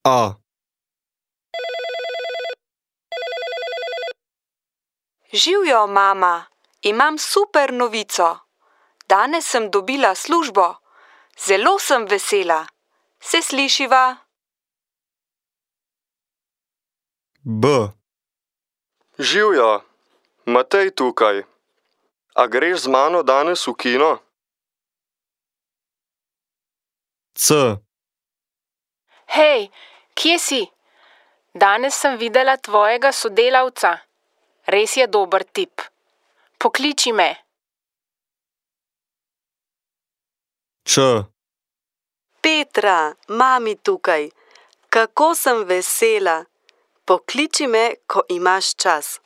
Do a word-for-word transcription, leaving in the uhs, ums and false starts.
A. Živjo, mama, imam super novico. Danes sem dobila službo. Zelo sem vesela. Se slišiva? B. Živjo, Matej tukaj. A greš z mano danes v kino? C. Hej, kje si? Danes sem videla tvojega sodelavca. Res je dober tip. Pokliči me. Č. Petra, mami tukaj. Kako sem vesela. Pokliči me, ko imaš čas.